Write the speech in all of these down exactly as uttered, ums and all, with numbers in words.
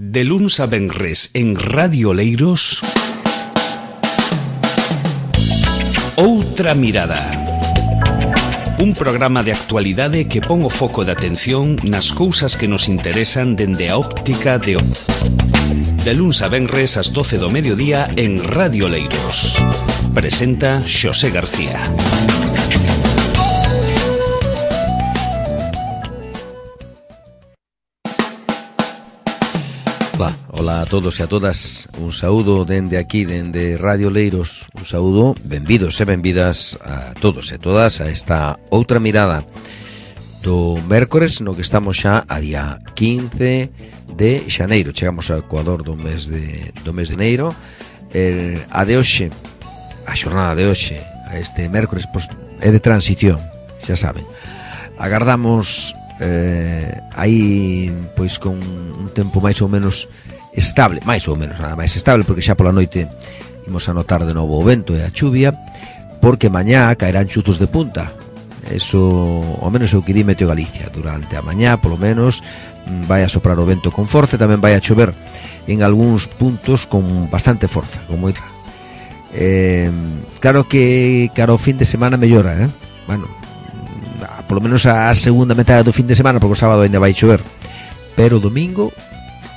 De luns a venres en Radio Leiros, Outra Mirada. Un programa de actualidade que pon o foco de atención nas cousas que nos interesan dende a óptica de... De luns a venres ás doce do mediodía en Radio Leiros. Presenta Xosé García. Ola, ola a todos e a todas. Un saúdo dende aquí, dende Radio Leiros. Un saúdo, benvidos e benvidas a todos e todas a esta Outra Mirada do mércores, no que estamos xa a día quince de xaneiro. Chegamos ao ecuador do mes de, do mes de enero. El, a de hoxe, a xornada de hoxe, a este mércores, pois, é de transición, xa saben. Agardamos eh, aí, pois, con un tempo máis ou menos estable, máis ou menos nada máis estable, porque xa pola noite imos a notar de novo o vento e a chuvia, porque mañá caerán chuzos de punta. Eso, ao menos eu que di Meteo Galicia. Durante a mañá, polo menos, vai a soprar o vento con forza, tamén vai a chover en algúns puntos con bastante forza, con moita. Eh, claro que cara ao fin de semana mellora, eh? Bueno, polo menos a segunda metade do fin de semana, porque o sábado ainda vai chover, pero o domingo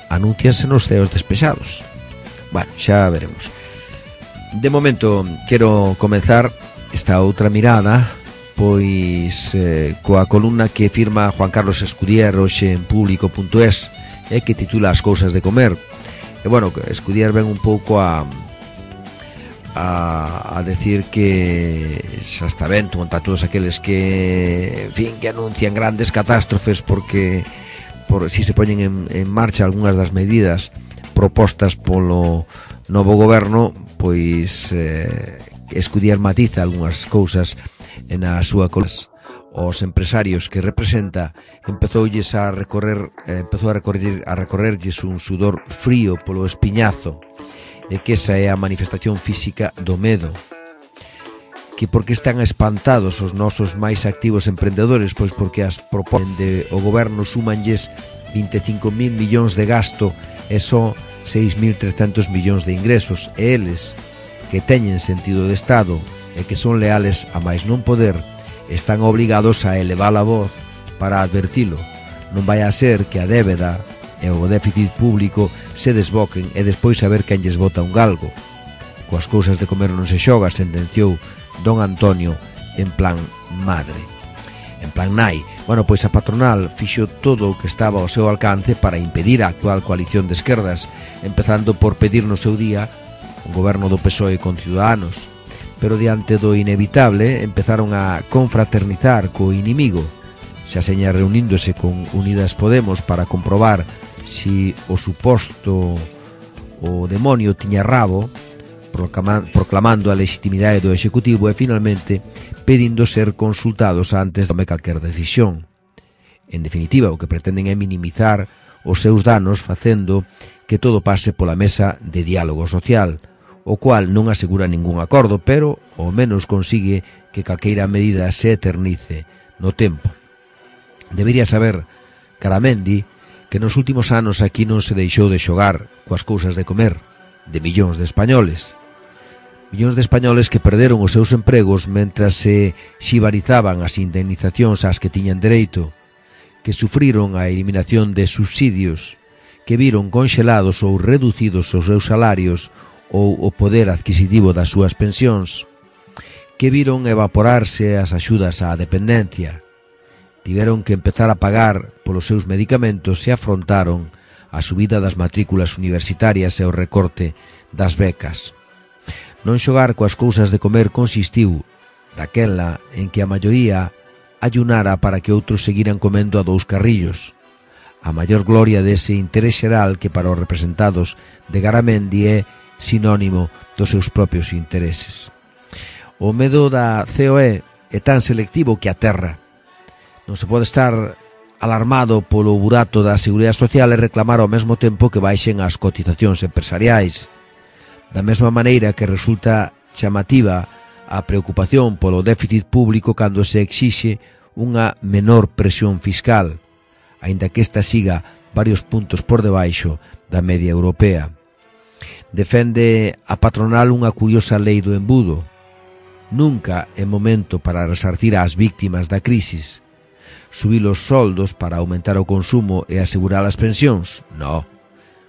anúncianse nos ceos despexados. Bueno, xa veremos. De momento quero comenzar esta outra mirada, pois eh, coa columna que firma Juan Carlos Escudier hoxe en público punto es, e que titula As cousas de comer. E bueno, Escudier ven un pouco a a, a decir que xa está ben contra todos aqueles que, en fin, que anuncian grandes catástrofes porque por si se poñen en, en marcha algunhas das medidas propostas polo novo goberno, pois eh, Escudier matiza algunhas cousas en a súa colas. Os empresarios que representa empezoulles a recorrer eh, empezou a recorrer a recorrerlles un sudor frío polo espiñazo, e que esa é a manifestación física do medo. Que porque están espantados os nosos máis activos emprendedores? Pois porque as proponen de o goberno súmanlles vinte e cinco mil millóns de gasto e só seis mil trescentos millóns de ingresos, e eles, que teñen sentido de Estado e que son leales a máis non poder, están obligados a elevar a voz para advertilo. Non vai a ser que a débeda e o déficit público se desboquen e despois saber quen lles bota un galgo. Coas cousas de comer non se xoga, sentenciou don Antonio en plan madre, en plan nai. Bueno, pois a patronal fixo todo o que estaba ao seu alcance para impedir a actual coalición de esquerdas, empezando por pedir no seu día un goberno do P S O E con Ciudadanos, pero diante do inevitable empezaron a confraternizar co inimigo, xa seña reuníndose con Unidas Podemos para comprobar si o suposto o demonio tiña rabo, proclamando a legitimidade do Executivo e finalmente pedindo ser consultados antes de tomar calquer decisión. En definitiva, o que pretenden é minimizar os seus danos facendo que todo pase pola mesa de diálogo social, o cual non asegura ningún acordo, pero ao menos consigue que calqueira medida se eternice no tempo. Debería saber Garamendi que nos últimos anos aquí non se deixou de xogar coas cousas de comer de millóns de españoles. Millóns de españoles que perderon os seus empregos mentras se xibarizaban as indemnizacións ás que tiñan dereito, que sufriron a eliminación de subsidios, que viron conxelados ou reducidos os seus salarios ou o poder adquisitivo das súas pensións, que viron evaporarse as axudas á dependencia, tiveron que empezar a pagar polos seus medicamentos e afrontaron a subida das matrículas universitarias e o recorte das becas. Non xogar coas cousas de comer consistiu daquela en que a maioría ayunara para que outros seguiran comendo a dous carrillos. A maior gloria dese interés xeral que para os representados de Garamendi é sinónimo dos seus propios intereses. O medo da C O E é tan selectivo que aterra. Non se pode estar alarmado polo burato da Seguridade Social e reclamar ao mesmo tempo que baixen as cotizacións empresariais. Da mesma maneira que resulta chamativa a preocupación polo déficit público cando se exixe unha menor presión fiscal, aínda que esta siga varios puntos por debaixo da media europea. Defende a patronal unha curiosa lei do embudo. Nunca é momento para resarcir ás víctimas da crisis. Subir os soldos para aumentar o consumo e asegurar as pensións? No,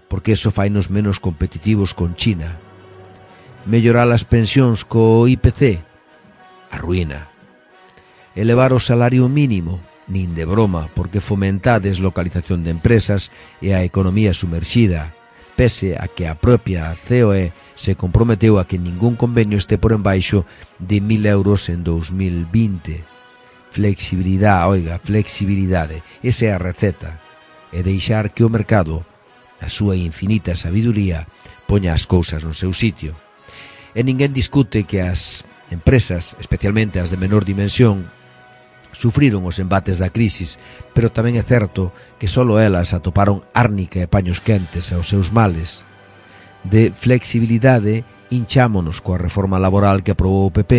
porque eso fainos menos competitivos con China. Mellorar as pensións co I P C? A ruína. Elevar o salario mínimo? Nin de broma, porque fomenta a deslocalización de empresas e a economía sumerxida, pese a que a propia C O E se comprometeu a que ningún convenio este por embaixo de mil euros en dos mil vinte. Flexibilidade, oiga, flexibilidade, esa é a receta, e deixar que o mercado, na súa infinita sabiduría, poña as cousas no seu sitio. E ninguén discute que as empresas, especialmente as de menor dimensión, sufriron os embates da crisis, pero tamén é certo que só elas atoparon árnica e paños quentes aos seus males. De flexibilidade hinchámonos coa reforma laboral que aprobou o P P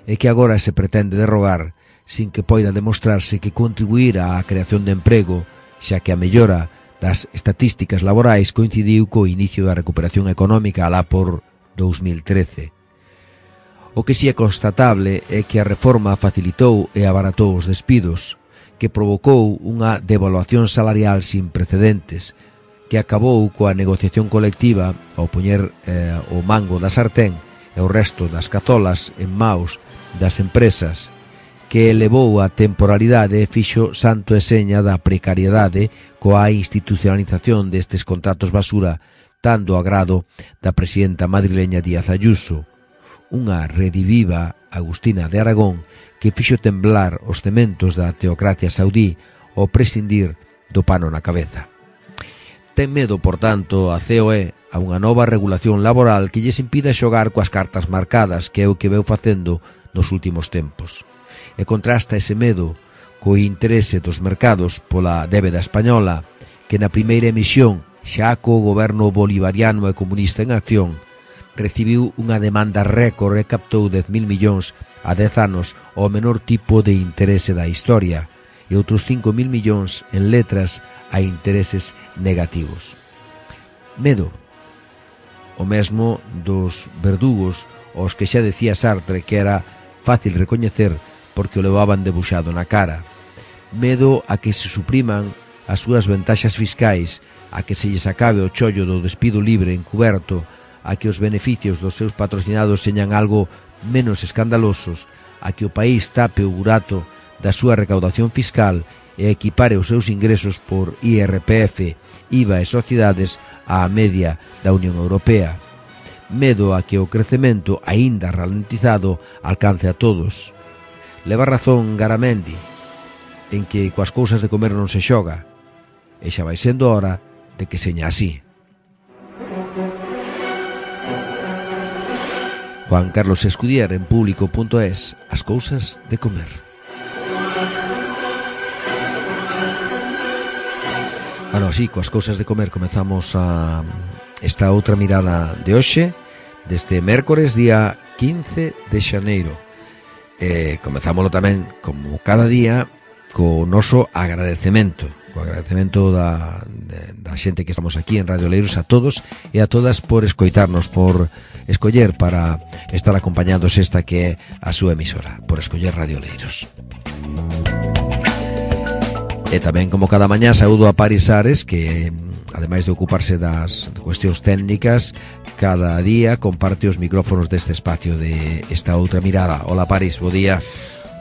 e que agora se pretende derrogar sin que poida demostrarse que contribuir á creación de emprego, xa que a mellora das estatísticas laborais coincidiu co inicio da recuperación económica alá por dos mil trece. O que si é constatable é que a reforma facilitou e abaratou os despidos, que provocou unha devaluación salarial sin precedentes, que acabou coa negociación colectiva ao poñer eh, o mango da sartén e o resto das cazolas en maus das empresas, que elevou a temporalidade e fixo santo e seña da precariedade coa institucionalización destes contratos basura tan do agrado da presidenta madrileña Díaz Ayuso, unha rediviva Agustina de Aragón que fixo temblar os cementos da teocracia saudí ao prescindir do pano na cabeza. Ten medo, por tanto, a C O E a unha nova regulación laboral que lles impida xogar coas cartas marcadas, que é o que veu facendo nos últimos tempos. E contrasta ese medo co interese dos mercados pola débeda española, que na primeira emisión, xa co goberno bolivariano e comunista en acción, recibiu unha demanda récord e captou dez mil millóns a dez anos ao menor tipo de interese da historia e outros cinco mil millóns en letras a intereses negativos. Medo. O mesmo dos verdugos aos que xa decía Sartre que era fácil recoñecer porque o levaban debuxado na cara. Medo a que se supriman as súas ventaxas fiscais, a que se lles acabe o chollo do despido libre encuberto, a que os beneficios dos seus patrocinados señan algo menos escandalosos, a que o país tape o burato da súa recaudación fiscal e equipare os seus ingresos por I R P F, I V A e sociedades á media da Unión Europea. Medo a que o crecemento, aínda ralentizado, alcance a todos. Leva razón Garamendi, en que coas cousas de comer non se xoga, e xa vai sendo hora de que seña así. Juan Carlos Escudier en público punto es, as cousas de comer. Bueno, así, coas cousas de comer comezamos a esta outra mirada de hoxe, deste mércores, día quince de xaneiro. E comezámoslo tamén, como cada día, co noso agradecemento, co agradecemento da, de, da xente que estamos aquí en Radio Oleiros, a todos e a todas por escoitarnos, por escoller para estar acompañados esta que é a súa emisora, por escoller Radio Oleiros. E tamén, como cada mañá, saúdo a Paris Ares, que ademais de ocuparse das cuestións técnicas, cada día comparte os micrófonos deste espacio de esta outra mirada. Hola Paris, bo día.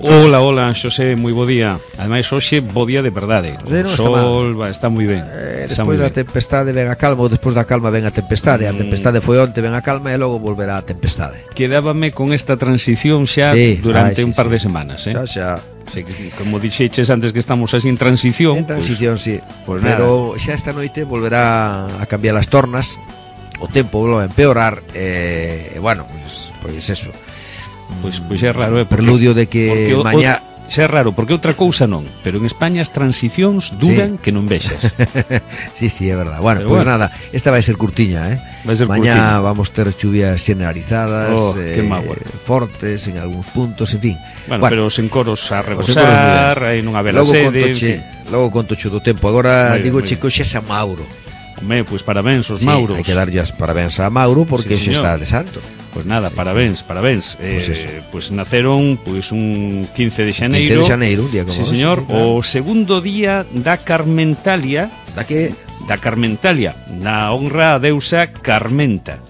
Hola, hola, Xosé, moi bo día. Ademais, hoxe, bo día de verdade. O no, sol está, está moi ben. Eh, despois da tempestade ven a calma, ou despois da calma ven a tempestade. A tempestade foi onte, ven a calma e logo volverá a tempestade. Quedábame con esta transición xa sí, durante ai, sí, un par sí. de semanas, eh? Xa, xa. Sí, como dixeches antes que estamos así en transición. En transición, pues, sí. Pues pero nada. Xa esta noite volverá a cambiar as tornas, o tempo volverá a empeorar, e, eh, bueno, pues, pues eso. Pois, pois é raro, é porque, preludio de que mañá xa é raro, porque outra cousa non, pero en España as transicións duran sí. que non vexas. Sí, sí, é verdad. Bueno, pois pues bueno. nada, esta vai ser curtiña, eh. Vai ser mañá curtiña. Vamos ter chuvias generalizadas, oh, eh, fortes en algúns puntos, en fin. Bueno, bueno, pero sen coros a rebosar, aí non haber logo sede. Contoche, Logo conto cho do tempo. Agora Muy bien, digo muy chico xe San Mauro. Home, pois parabéns aos Sí, Mauros. hai que darlle as parabéns a Mauro porque Sí, xe señor. está de santo. Pois nada, Sí. parabéns, parabéns. Pois eh, eso. pois naceron pois un quince de xaneiro. quince de xaneiro, un día como Sí, hoxe, señor, sí, claro. o segundo día da Carmentalia, Da que da Carmentalia, na honra a deusa Carmenta.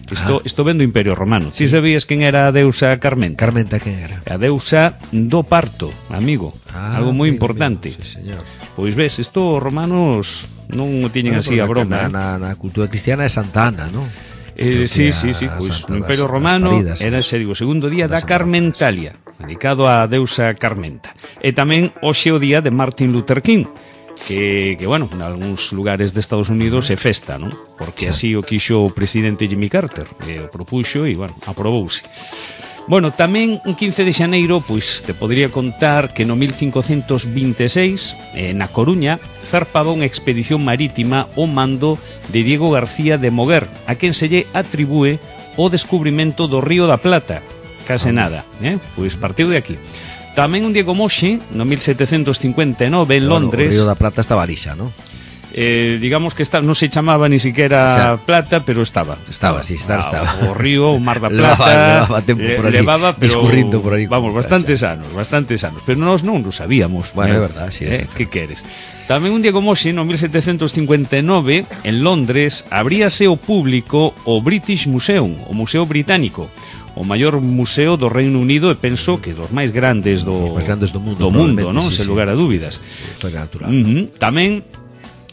Isto, Ah. isto ven do Imperio Romano. Ti sabías quen era a deusa Carmenta? Carmenta quen era? A deusa do parto, amigo. Ah, Algo moi amigo, importante. amigo, sí, señor. Pois ves, isto os romanos non o tiñen Bueno, así a porque broma. Na, eh. na, na cultura cristiana é Santa Ana, non? Eh, Creo sí, que sí, a sí, pois Santa no das- Imperio das Romano paridas, era ¿sabes? ese, digo, segundo día da Das Carmentalia, dedicado á deusa Carmenta. E tamén hoxe o día de Martin Luther King, que, que bueno, en algúns lugares de Estados Unidos é festa, non? Porque así o quixo o presidente Jimmy Carter, e o propuxo e, bueno, aprobouse. Bueno, tamén un quince de xaneiro, pois te podría contar que no mil cincocentos vinte e seis, eh, na Coruña, zarpaba unha expedición marítima ao mando de Diego García de Moguer, a quen se lle atribúe o descubrimento do Río da Plata. Case nada, eh? Pois partiu de aquí. Tamén un día como hoxe, no mil setecentos cincuenta e nove, en Bueno, Londres, o Río da Plata estaba lixa, non? eh, digamos que está, non se chamaba ni siquiera O sea, Plata, pero estaba. estaba, sí, estar Ah, estaba. O río, o Mar da Levaba- Plata, levaba tempo eh, por ali, levaba, pero, discurrindo por aí con vamos, muchacha. bastantes anos, bastantes anos, pero nós non o sabíamos. Bueno, eh, é verdad, sí, eh, é que queres? Tamén un día como hoxe, no mil setecentos cincuenta e nove, en Londres, abríase ao público o British Museum, o Museo Británico, o maior museo do Reino Unido e penso que dos máis grandes do, Os máis grandes do mundo, do mundo, probablemente, non? sí, Sen sí. lugar a dúbidas. Historia natural. Uh -huh. Tamén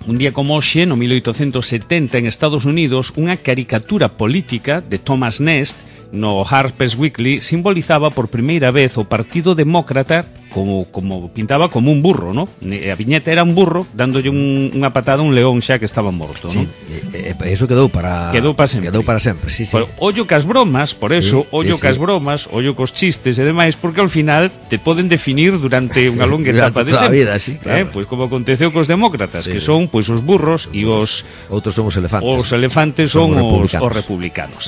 un día como hoxe, no mil oitocentos setenta, en Estados Unidos, unha caricatura política de Thomas Nast no Harper's Weekly simbolizaba por primeira vez o Partido Demócrata como, como pintaba como un burro, ¿no? A viñeta era un burro dándolle un, unha patada a un león xa que estaba morto, Sí, ¿no? e, e, eso quedou para Quedou para sempre. Quedou para sempre, sí, sí. Pero ollo cas bromas, por Sí, eso, sí, ollo sí. cas bromas, ollo cos chistes e demais, porque ao final te poden definir durante unha longa Durante etapa de toda a tempo. vida, sí, claro. Eh, pois como aconteceu cos demócratas, Sí, que sí. son pois os burros e os Outros son os elefantes. os elefantes Son son, os os, republicanos. os republicanos.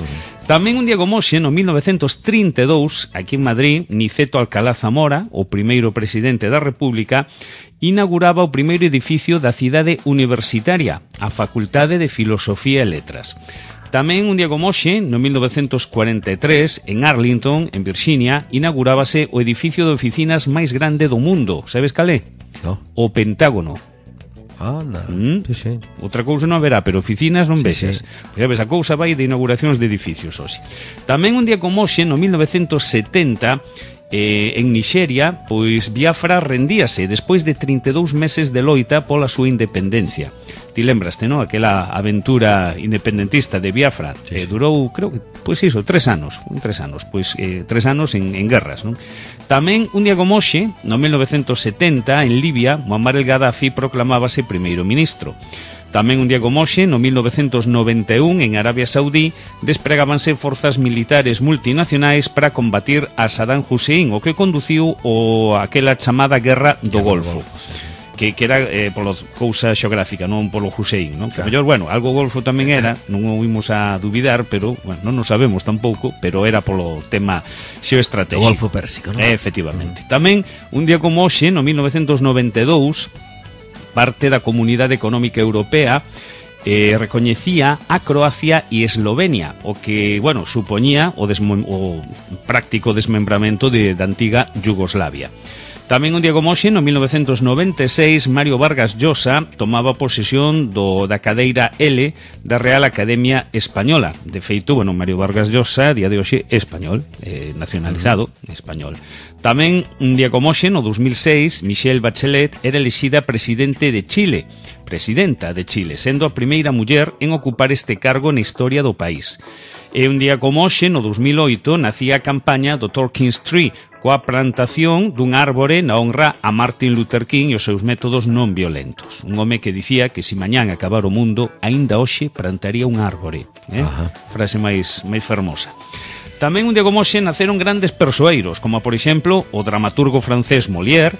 Tamén un día como hoxe, no mil novecentos trinta e dous, aquí en Madrid, Niceto Alcalá Zamora, o primeiro presidente da República, inauguraba o primeiro edificio da cidade universitaria, a Facultade de Filosofía e Letras. Tamén un día como hoxe, no mil novecentos cuarenta e tres, en Arlington, en Virxinia, inaugurábase o edificio de oficinas máis grande do mundo. Sabes cal é? No. O Pentágono. Anda. Mm. Sí, sí. Outra cousa non haberá, pero oficinas non Sí, vexas. sí. Pois ya ves, a cousa vai de inauguracións de edificios hoxe. Tamén un día como hoxe, no mil novecentos setenta, eh, en Nixeria, pois Biafra rendíase despois de trinta e dous meses de loita pola súa independencia. Ti lembraste, non? Aquela aventura independentista de Biafra, Sí, eh, sí. durou, creo que, pois iso, tres anos, un tres anos, pois eh, tres anos en, en guerras, non? Tamén un día como hoxe, no mil novecentos setenta, en Libia, Muammar el Gaddafi proclamábase primeiro ministro. Tamén un día como hoxe, no mil novecentos noventa e un, en Arabia Saudí, despregábanse forzas militares multinacionais para combatir a Saddam Hussein, o que conduciu o aquela chamada Guerra do Golfo. Que, que era eh, polo cousa xeográfica, non polo Hussein, non? Que, Claro. mellor, bueno, algo golfo tamén era, non o vimos a dubidar, pero, bueno, non o sabemos tampouco, pero era polo tema O xeoestratégico. Golfo Pérsico, non? Eh, efectivamente. Tamén, un día como hoxe, no mil novecentos noventa e dous, parte da Comunidade Económica Europea eh, recoñecía a Croacia e Eslovenia, o que, bueno, supoñía o, desmo- o práctico desmembramento de, da antiga Yugoslavia. Tamén un día como hoxe, no mil novecentos noventa e seis, Mario Vargas Llosa tomaba posesión do, da cadeira L da Real Academia Española. De feito, bueno, Mario Vargas Llosa, día de hoxe, é español, eh, nacionalizado, español. Tamén un día como hoxe, no dos mil seis, Michelle Bachelet era elixida presidente de Chile, presidenta de Chile, sendo a primeira muller en ocupar este cargo na historia do país. E un día como hoxe, no dos mil oito, nacía a campaña do Tolkien's Tree, coa plantación dun árbore na honra a Martin Luther King e os seus métodos non violentos. Un home que dicía que si mañán acabar o mundo, aínda hoxe plantaría un árbore. Eh? Ajá. Frase máis, máis fermosa. Tamén un día como hoxe naceron grandes persoeiros, como por exemplo o dramaturgo francés Molière,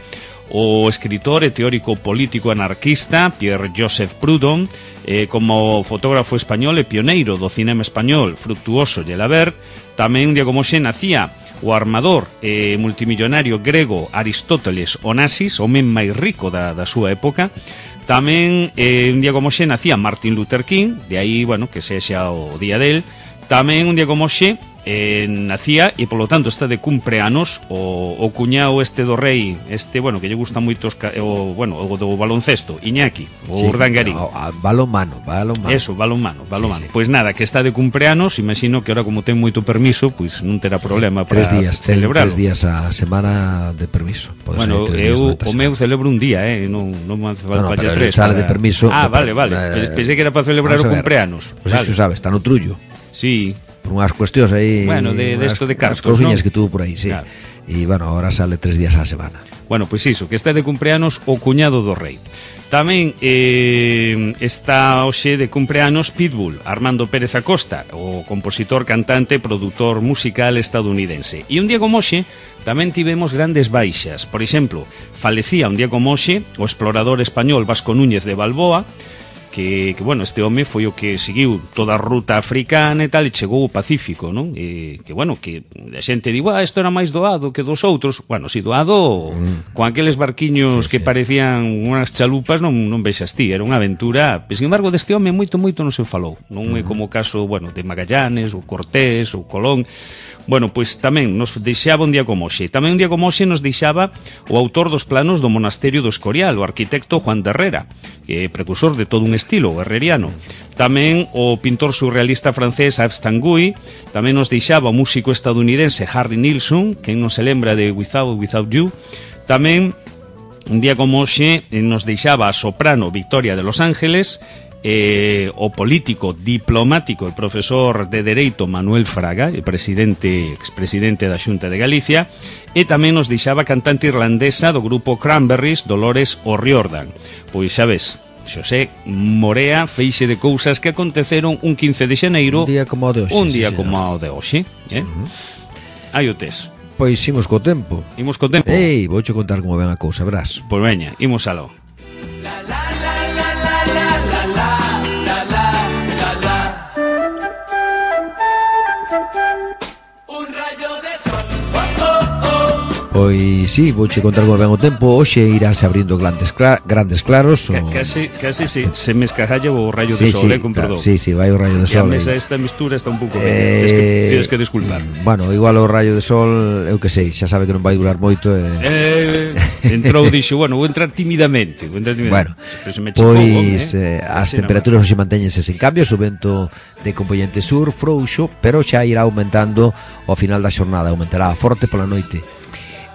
o escritor e teórico político anarquista Pierre-Joseph Proudhon, eh, como fotógrafo español e pioneiro do cinema español Fructuoso Gelabert. Tamén un día como hoxe nacía o armador e multimillonario grego Aristóteles Onassis, o men máis rico da, da súa época. Tamén, eh, un día como xe, nacía Martin Luther King, de aí, bueno, que sexa o día del. Tamén, un día como xe, eh, nacía, e polo tanto está de cumpleanos o, o cuñado este do rei, este, bueno, que lle gusta moito o, bueno, o do baloncesto, Iñaki, o sí, Urdangarín. No, balonmano, balonmano. Eso, balonmano, balonmano. Sí, sí. Pois nada, que está de cumpleanos, imagino que ahora como ten moito permiso, pois non terá problema para días, celebrarlo. Tres días a semana de permiso. Bueno, eu o meu celebro un día, eh, non non me falta no, no, ya tres. Sale para... de permiso. Ah, vale, vale. Eh, Pensei que era para celebrar o cumpleanos. Pois pues vale. Iso sabes, está no Trullo. Sí. Por unhas cuestións aí. Bueno, de, de esto de cartos, cousiñas ¿no? que tuvo por aí, sí. Claro. E, bueno, ahora sale tres días a semana. Bueno, pois pues iso, que está de cumpleanos o cuñado do rei. Tamén eh, está hoxe de cumpleanos Pitbull, Armando Pérez Acosta, o compositor, cantante, produtor musical estadounidense. E un día como hoxe tamén tivemos grandes baixas. Por exemplo, falecía un día como hoxe o explorador español Vasco Núñez de Balboa, que, que bueno, este home foi o que seguiu toda a ruta africana e tal, e chegou ao Pacífico, non? E que, bueno, que a xente digo, ah, isto era máis doado que dos outros. Bueno, si doado, mm. con aqueles barquiños sí, que sí. parecían unhas chalupas, non, non vexas ti, era unha aventura. Pero, sin embargo, deste home moito, moito non se falou. Non mm. é como o caso, bueno, de Magallanes, ou Cortés, ou Colón. Bueno, pois tamén nos deixaba un día como hoxe. Tamén un día como hoxe nos deixaba o autor dos planos do monasterio do Escorial, o arquitecto Juan de Herrera, que é precursor de todo un estilo, o herreriano. Tamén o pintor surrealista francés Yves Tanguy. Tamén nos deixaba o músico estadounidense Harry Nilsson, que non se lembra de Without, Without You. Tamén un día como hoxe nos deixaba a soprano Victoria de Los Ángeles, Eh, o político, diplomático e profesor de Dereito Manuel Fraga, e presidente, expresidente da Xunta de Galicia, e tamén nos deixaba a cantante irlandesa do grupo Cranberries, Dolores O'Riordan. Pois xa ves, Xosé Morea, feixe de cousas que aconteceron un quince de xaneiro, un día como o de hoxe, un día sí, como o de hoxe, eh? Uh-huh. Aí o tes. Pois imos co tempo. Imos co tempo. Ei, vouche contar como ven a cousa, verás. Pois veña, imos aló. La la la la la la la la. Pois sí, vouche contar como ven o tempo. Hoxe iránse abrindo grandes, cla grandes claros o... Casi, casi sí, se me escajalla o rayo sí, de sol, sí, eh, con perdón. Sí, sí, vai o rayo de sol. E a mesa esta mistura está un pouco eh, tienes, que, tienes que disculpar. Bueno, igual o rayo de sol, eu que sei, xa sabe que non vai durar moito e... eh, entrou, dixo, bueno, vou entrar tímidamente, vou entrar tímidamente. Bueno, se me pois eh, eh, as temperaturas hoxe mantéñense sen cambios, o vento de componente sur frouxo, pero xa irá aumentando ao final da xornada, aumentará forte pola noite.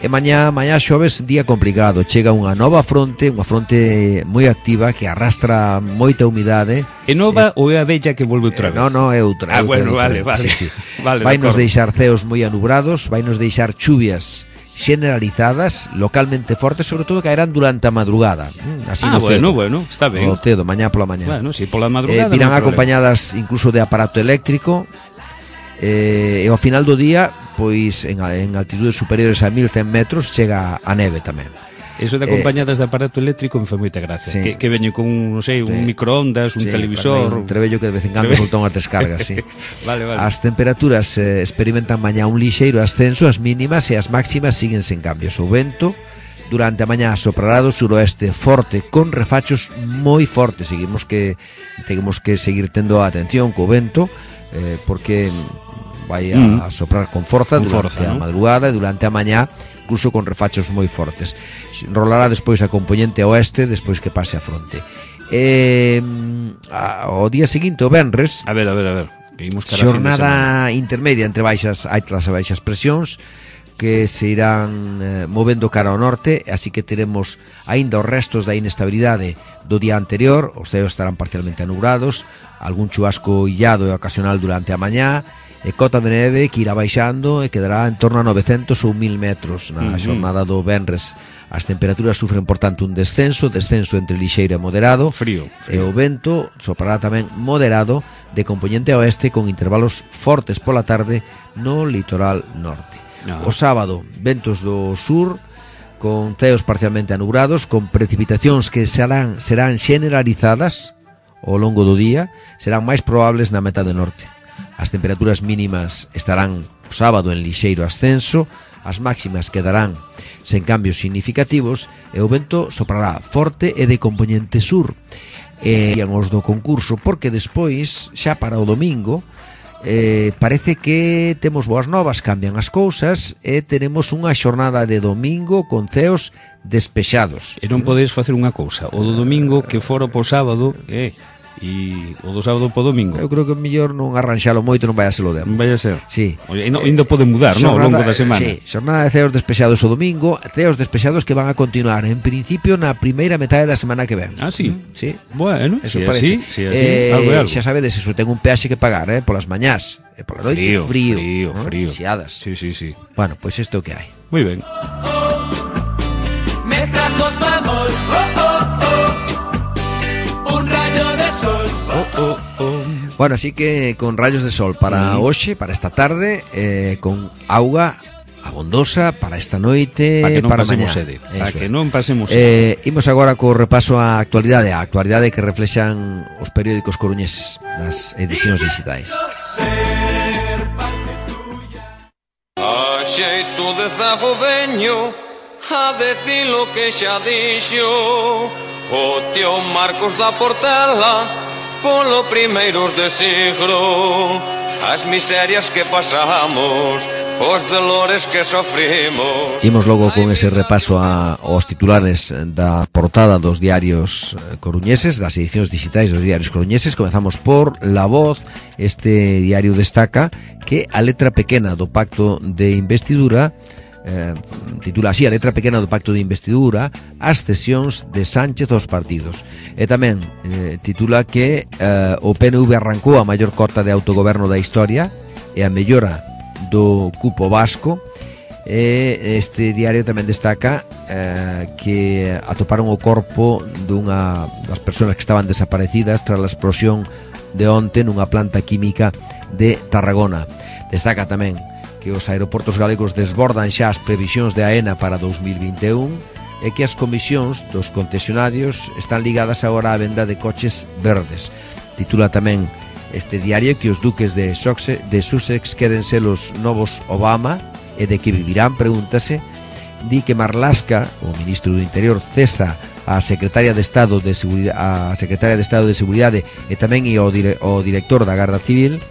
E mañá, mañá xoves, día complicado. Chega unha nova fronte, unha fronte moi activa que arrastra moita humidade. É nova eh, ou é a vella que volve outra vez? Non, non, é outra. Ah, bueno, vale, vale. Sí, sí. vale vai nos deixar ceos moi anubrados, vai nos deixar chuvias generalizadas, localmente fortes, sobre todo caerán durante a madrugada. Así ah, no bueno, cedo. bueno, está ben. O cedo, mañá pola mañá. Bueno, si pola madrugada. Eh, virán no acompañadas incluso de aparato eléctrico. Eh, e ao final do día, pois en, en altitudes superiores a mil cen metros chega a neve tamén. Eso de acompañadas eh, de aparato eléctrico me foi moita gracia, sí. que, que veño con, non sei, un sí. microondas, un sí, televisor, un trebello que de vez en cando soltón as descargas, sí. Vale, vale. As temperaturas eh, experimentan mañá un lixeiro ascenso, as mínimas e as máximas siguen sen cambios. O vento durante a mañá soprará do suroeste forte con refachos moi fortes. Seguimos que temos que seguir tendo a atención co vento, eh, porque vai a mm. soprar con forza con durante forza, a ¿no? madrugada e durante a mañá, incluso con refachos moi fortes. Rolará despois a componente oeste despois que pase a fronte. Eh, a, o día seguinte, o venres, a ver, a ver, a ver, xornada intermedia entre baixas altas e baixas presións que se irán eh, movendo cara ao norte, así que teremos aínda os restos da inestabilidade do día anterior. Os ceos estarán parcialmente anubrados, algún chubasco illado e ocasional durante a mañá, e cota de neve que irá baixando e quedará en torno a novecentos ou mil metros na xornada do venres. As temperaturas sufren, por tanto, un descenso, descenso entre lixeiro e moderado. Frío, E frío. o vento soprará tamén moderado de componente oeste con intervalos fortes pola tarde no litoral norte. No. O sábado, ventos do sur con ceos parcialmente anubrados, con precipitacións que serán, serán generalizadas ao longo do día, serán máis probables na metade norte. As temperaturas mínimas estarán o sábado en lixeiro ascenso, as máximas quedarán sen cambios significativos e o vento soprará forte e de compoñente sur. E os do concurso, porque despois, xa para o domingo, Eh, parece que temos boas novas, cambian as cousas e teremos unha xornada de domingo con ceos despexados. E non podes facer unha cousa, o do domingo que fora po sábado, eh, e o do sábado po domingo. Eu creo que mellor non arranxalo moito, non vai a ser o demo. Non vai a ser. Sí. Oye, no, ainda pode mudar, non, ao longo da semana. Sí, xornada de ceos despexados o domingo, ceos despexados que van a continuar en principio na primeira metade da semana que ven. Ah, sí. Sí. Bueno, eso si parece. así, si así, eh, algo é algo. Xa sabedes, eso ten un peaxe que pagar, eh, polas mañás, e pola noite Frío, frío, frío, ¿no? frío. Xiadas. Sí, sí, sí. Bueno, pois pues isto é o que hai. Muy ben. Me trajo tu amor, oh, oh, oh. Un rayo de sol, Oh, oh, oh. Bueno, así que con rayos de sol para hoxe, para esta tarde, eh, con auga abondosa para esta noite, para que non para pasemos mañá. sede. Eso Para é. que non pasemos sede. Eh, imos agora co repaso á actualidade, a actualidade que reflexan os periódicos coruñeses nas edicións digitais. ser parte tuya. A xeito de zago veño a decir lo que xa dixo o tío Marcos da Portela polo primeiros de siglo. As miserias que pasamos, os dolores que sofrimos. Imos logo con ese repaso a, aos titulares da portada dos diarios coruñeses, das edicións digitais dos diarios coruñeses. Comezamos por La Voz. Este diario destaca que a letra pequena do pacto de investidura eh, titula así: a letra pequena do pacto de investidura, as cesións de Sánchez aos partidos. E tamén eh, titula que eh, o P N V arrancou a maior cota de autogoberno da historia e a mellora do cupo vasco. E este diario tamén destaca eh, que atoparon o corpo dunha das persoas que estaban desaparecidas tras a explosión de onte nunha planta química de Tarragona. Destaca tamén que os aeroportos galegos desbordan xa as previsións de AENA para dos mil vinte e un e que as comisións dos concesionarios están ligadas agora á venda de coches verdes. Titula tamén este diario que os duques de Sussex, de Sussex queren ser os novos Obama e de que vivirán, pregúntase. Di que Marlaska, o ministro do Interior, cesa a secretaria de Estado de Seguridade, a secretaria de Estado de Seguridade e tamén e o, dire, o director da Garda Civil,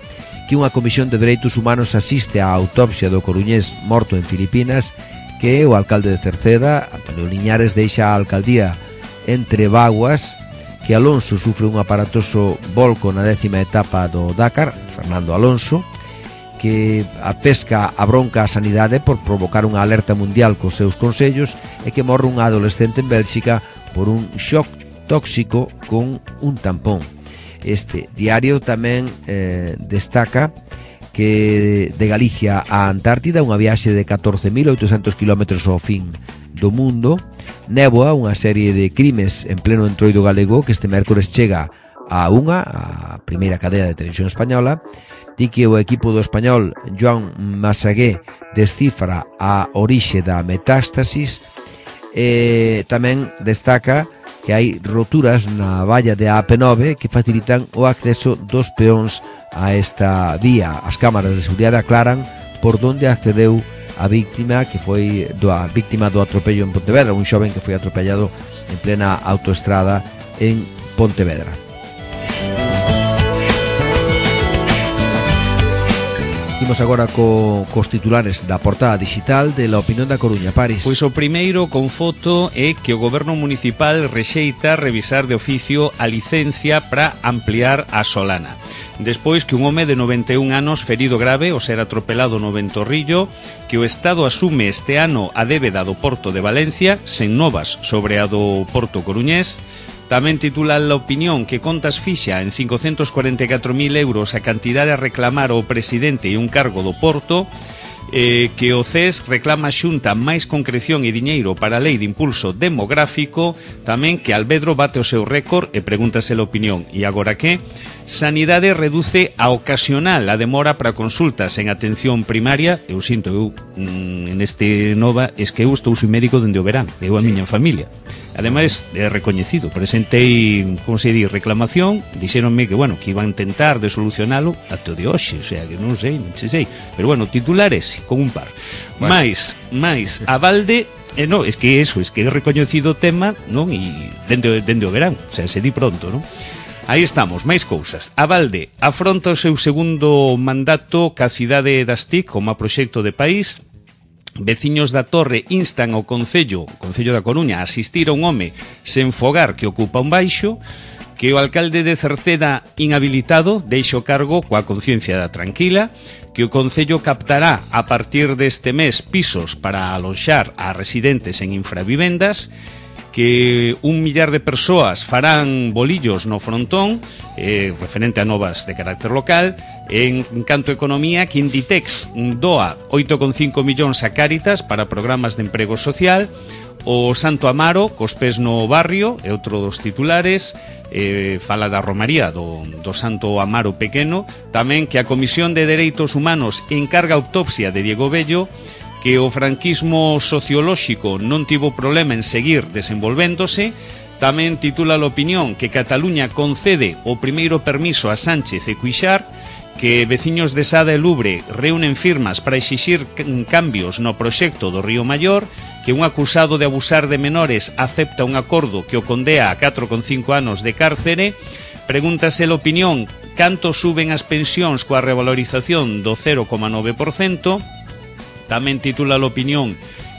que unha comisión de dereitos humanos asiste á autopsia do coruñés morto en Filipinas, que o alcalde de Cerceda, Antonio Liñares, deixa a alcaldía entre vaguas, que Alonso sufre un aparatoso volco na décima etapa do Dakar, Fernando Alonso, que a pesca a bronca a sanidade por provocar unha alerta mundial cos seus consellos, e que morre unha adolescente en Bélxica por un shock tóxico con un tampón. Este diario tamén eh, destaca que de Galicia a Antártida unha viaxe de catorce mil oitocentos kilómetros ao fin do mundo. Néboa, unha serie de crimes en pleno entroido galego, que este mércores chega a unha, a primeira cadea de televisión española. Di que o equipo do español Joan Massagué descifra a orixe da metástasis. E tamén destaca que hai roturas na valla de A P nove que facilitan o acceso dos peóns a esta vía. As cámaras de seguridade aclaran por onde accedeu a víctima, que foi do, a víctima do atropello en Pontevedra, un xoven que foi atropellado en plena autoestrada en Pontevedra. Imos agora co, cos titulares da portada digital de La Opinión da Coruña. Paris. Pois o primeiro con foto é que o goberno municipal rexeita revisar de oficio a licencia para ampliar a Solana. Despois que un home de noventa e un anos ferido grave ao ser atropelado no Ventorrillo, que o Estado asume este ano a débeda do Porto de Valencia, sen novas sobre a do Porto Coruñés. Tamén titula La Opinión que Contas fixa en cincocentos cuarenta e catro mil euros a cantidade a reclamar ao presidente e un cargo do Porto, eh, que o C E S reclama a Xunta máis concreción e diñeiro para a Lei de Impulso Demográfico, tamén que Alvedro bate o seu récord e pregúntase La Opinión. E agora que? Sanidade reduce a ocasional a demora para consultas en atención primaria. Eu sinto, eu mm, en este nova, es que eu estou sin médico dende o verán, eu a sí. miña familia. Ademais, é recoñecido. Presentei, como se di, reclamación, dixéronme que, bueno, que iban a intentar de solucionalo até o de hoxe, o sea, que non sei, non sei. Pero, bueno, titular ese, con un par. Bueno. Mais, mais, a balde... Eh, no, es que eso, es que é recoñecido o tema, non? E dende, dende o verán, o sea, se di pronto, non? Aí estamos, máis cousas. A balde afronta o seu segundo mandato ca cidade das T I C como a proxecto de país. Veciños da Torre instan ao Concello, o Concello da Coruña, a asistir a un home sen fogar que ocupa un baixo, que o alcalde de Cerceda inhabilitado deixa o cargo coa conciencia tranquila, que o Concello captará a partir deste mes pisos para aloxar a residentes en infravivendas, que un millar de persoas farán bolillos no frontón, eh, referente a novas de carácter local. En canto a economía, que Inditex doa oito coma cinco millóns a Cáritas para programas de emprego social. O Santo Amaro, cos pés no barrio, é outro dos titulares. eh, fala da romaría do, do Santo Amaro pequeno. Tamén que a Comisión de Dereitos Humanos encarga a autopsia de Diego Bello, que o franquismo sociolóxico non tivo problema en seguir desenvolvéndose. Tamén titula a opinión que Cataluña concede o primeiro permiso a Sánchez e Cuixart, que veciños de Sada e Lubre reúnen firmas para exixir cambios no proxecto do Río Maior, que un acusado de abusar de menores acepta un acordo que o condea a catro coma cinco anos de cárcere. Pregúntase a opinión canto suben as pensións coa revalorización do cero coma nove por cento. Tamén titula a opinión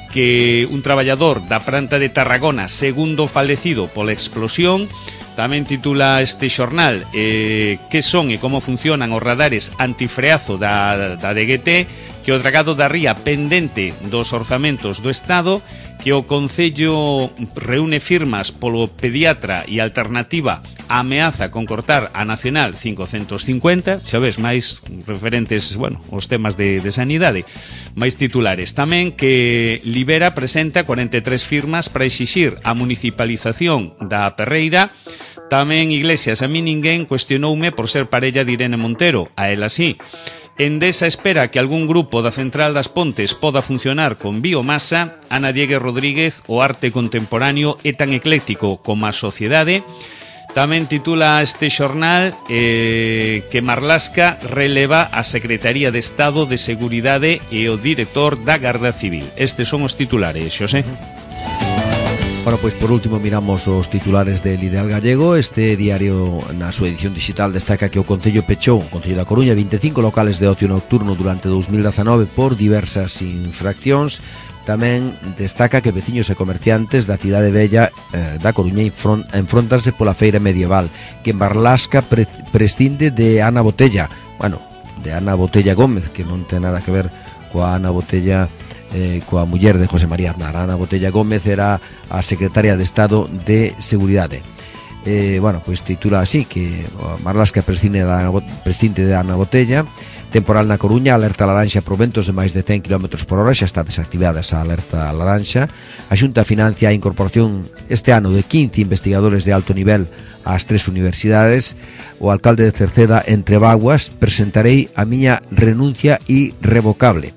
que un traballador da planta de Tarragona, segundo falecido pola explosión. Tamén titula este xornal eh, que son e como funcionan os radares antifreazo da, da D G T, que o dragado da ría pendente dos orzamentos do Estado, que o Concello reúne firmas polo pediatra e alternativa ameaza con cortar a Nacional cincocentos cincuenta, xa ves, máis referentes, bueno, os temas de, de sanidade, máis titulares. Tamén que Libera presenta cuarenta e tres firmas para exixir a municipalización da Perreira. Tamén Iglesias, a mí ninguén cuestionoume por ser parella de Irene Montero, a ela sí. Endesa espera que algún grupo da Central das Pontes poda funcionar con biomasa. Ana Diegues Rodríguez, o arte contemporáneo é tan ecléctico como a sociedade. Tamén titula este xornal eh, que Marlaska releva a Secretaría de Estado de Seguridade e o director da Garda Civil. Estes son os titulares, Xosé. Bueno, pois por último miramos os titulares del Ideal Gallego. Este diario na súa edición digital destaca que o Concello pechou, o Concello da Coruña, vinte e cinco locales de ocio nocturno durante dous mil dezanove por diversas infraccións. Tamén destaca que veciños e comerciantes da cidade bella eh, da Coruña enfrontanse pola feira medieval, que en Marlasca pre prescinde de Ana Botella, bueno, de Ana Botella Gómez, que non ten nada que ver coa Ana Botella Eh, coa muller de José María Aznar. Ana Botella Gómez era a secretaria de Estado de Seguridade. Eh, bueno, pois titula así que Marlasca prescinde de Ana, prescinde de Ana Botella. Temporal na Coruña, alerta laranxa por ventos de máis de cen kilómetros por hora, xa está desactivada esa alerta laranxa. A Xunta financia a incorporación este ano de quince investigadores de alto nivel ás tres universidades. O alcalde de Cerceda, entre vaguas, presentarei a miña renuncia irrevocable.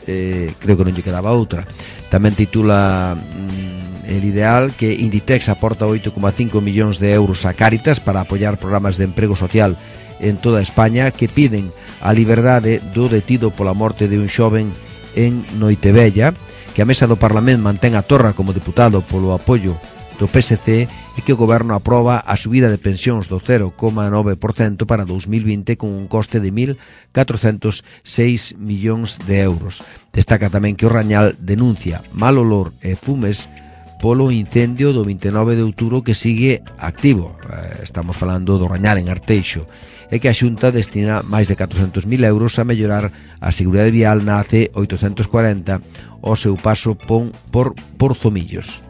Eh, creo que non lle quedaba outra. Tamén titula mm, el Ideal que Inditex aporta oito coma cinco millóns de euros a Cáritas para apoiar programas de emprego social en toda España, que piden a liberdade do detido pola morte de un xoven en Noitevella, que a mesa do Parlamento mantén a Torra como deputado polo apoio do P S C e que o Goberno aproba a subida de pensións do cero coma nove por cento para dous mil vinte con un coste de mil catrocentos seis millóns de euros. Destaca tamén que o Rañal denuncia mal olor e fumes polo incendio do vinte e nove de outubro que sigue activo. Estamos falando do Rañal en Arteixo, e que a Xunta destina máis de catrocentos mil euros a mellorar a seguridade vial na A C oitocentos cuarenta ao seu paso por, por Porzomillos.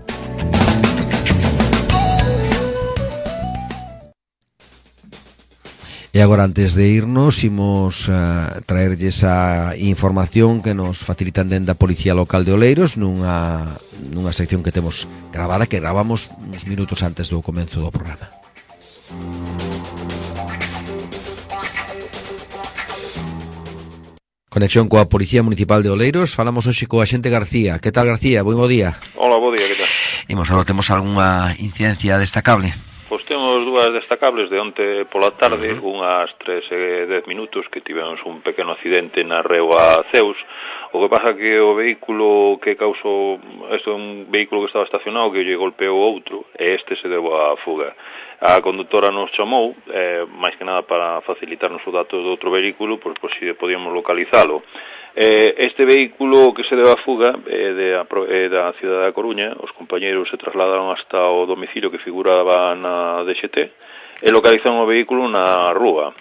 E agora, antes de irnos, imos uh, traerlles a información que nos facilitan dende a Policía Local de Oleiros nunha, nunha sección que temos gravada, que gravamos uns minutos antes do comenzo do programa. Conexión coa Policía Municipal de Oleiros. Falamos hoxe coa xente García. Que tal, García? Moi bo día. Hola, bo día, que tal? Imos, agora temos algunha incidencia destacable? Pois temos dúas destacables de onte pola tarde, uh-huh. unhas tres e dez minutos que tivemos un pequeno accidente na Reua Ceus. O que pasa que o vehículo que causou, isto é un vehículo que estaba estacionado que lle golpeou outro e este se deu a fuga. A conductora nos chamou, eh, máis que nada para facilitarnos os datos do outro vehículo, pois, pois se podíamos localizalo. Eh, este vehículo que se deu a fuga é de, é da cidade da Coruña. Os compañeiros se trasladaron hasta o domicilio que figuraba na D X T e localizaron o vehículo na rúa.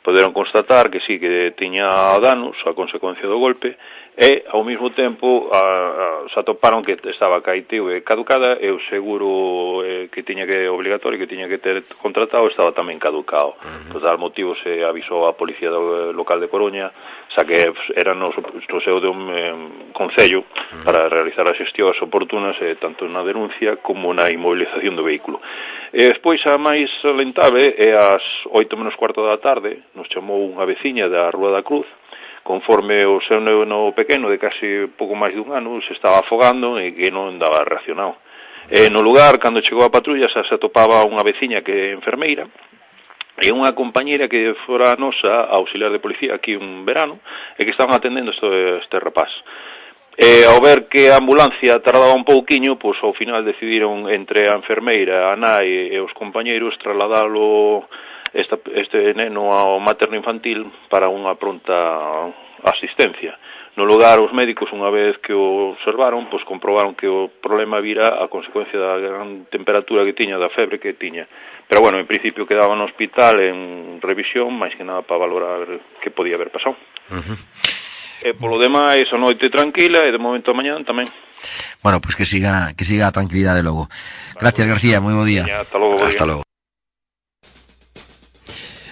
Poderon constatar que sí, que tiña danos a consecuencia do golpe e, ao mesmo tempo, a, a, se atoparon que estaba caeteo e caducada e o seguro eh, que tiña que obligatorio que tiña que ter contratado estaba tamén caducado. Uh-huh. Por tal motivo se avisou a Policía do, local de Coruña, xa que era no, no seu de un eh, concello uh-huh. para realizar as xestións oportunas eh, tanto na denuncia como na inmovilización do vehículo. E despois a máis lamentable é ás oito menos cuarto da tarde, nos chamou unha veciña da Rúa da Cruz, conforme o seu neno pequeno de casi pouco máis dun ano se estaba afogando e que non daba reaccionado. E no lugar, cando chegou a patrulla, xa se atopaba unha veciña que é enfermeira e unha compañeira que fora nosa auxiliar de policía aquí un verano e que estaban atendendo este, este rapaz. E ao ver que a ambulancia tardaba un pouquiño, pois ao final decidiron entre a enfermeira, a nai e os compañeiros trasladalo Esta, este neno ao materno infantil para unha pronta asistencia. No lugar, os médicos, unha vez que o observaron, pois comprobaron que o problema vira a consecuencia da gran temperatura que tiña, da febre que tiña. Pero, bueno, en principio quedaba no hospital en revisión, máis que nada para valorar que podía haber pasado. Uh-huh. E polo demais, a noite tranquila e de momento a mañán tamén. Bueno, pois pues que siga que siga a tranquilidade logo. Gracias, García, moi bo día. Hasta logo. Hasta logo.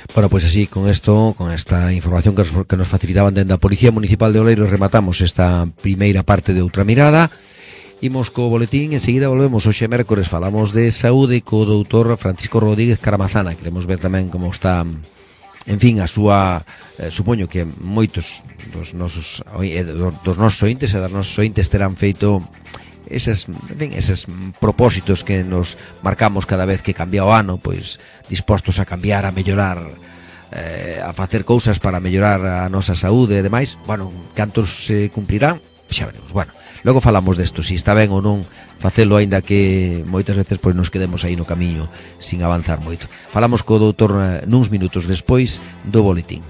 Bueno, pois pues así, con esto, con esta información que nos, que nos facilitaban dende a Policía Municipal de Oleiros, rematamos esta primeira parte de Outra Mirada. Imos co boletín, enseguida volvemos. Hoxe mércores falamos de saúde co doutor Francisco Rodríguez Caramazana. Queremos ver tamén como está, en fin, a súa, eh, supoño que moitos dos nosos, eh, dos nosos ointes e das nosos ointes terán feito eses, en fin, eses propósitos que nos marcamos cada vez que cambia o ano, pois dispostos a cambiar, a mellorar, eh, a facer cousas para mellorar a nosa saúde e demais. Bueno, cantos se cumprirán, xa veremos. Bueno, logo falamos desto, se está ben ou non facelo, aínda que moitas veces pois nos quedemos aí no camiño sin avanzar moito. Falamos co doutor nuns minutos despois do boletín.